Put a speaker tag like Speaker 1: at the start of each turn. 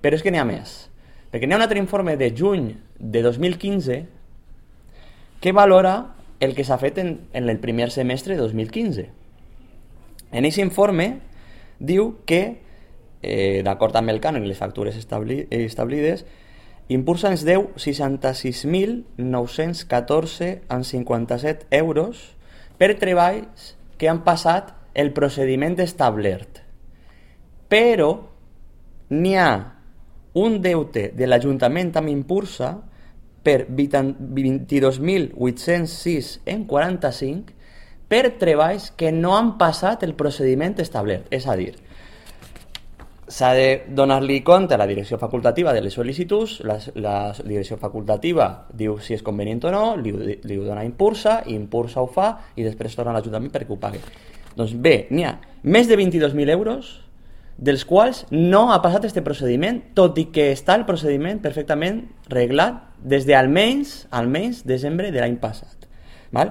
Speaker 1: Però és que n'hi ha més, perquè n'hi ha un altre informe de juny de 2015 que valora el que s'ha fet en el primer semestre de 2015. En aquest informe diu que, d'acord amb el cànon i les factures establides, Impulsa ens deu 66.914,57 euros per treballs que han passat el procediment establert. Però n'hi ha un deute de l'Ajuntament amb Impulsa per 22.806,45 per treballs que no han passat el procediment establert. És a dir, s'ha de donar-li compte a la direcció facultativa de les sol·licituds, la direcció facultativa diu si és convenient o no, li ho dona a Impulsa, Impulsa ho fa i després torna a l'Ajuntament perquè ho pagui. Doncs bé, n'hi ha més de 22.000 euros dels quals no ha passat aquest procediment, tot i que està el procediment perfectament reglat des de almenys desembre de l'any passat.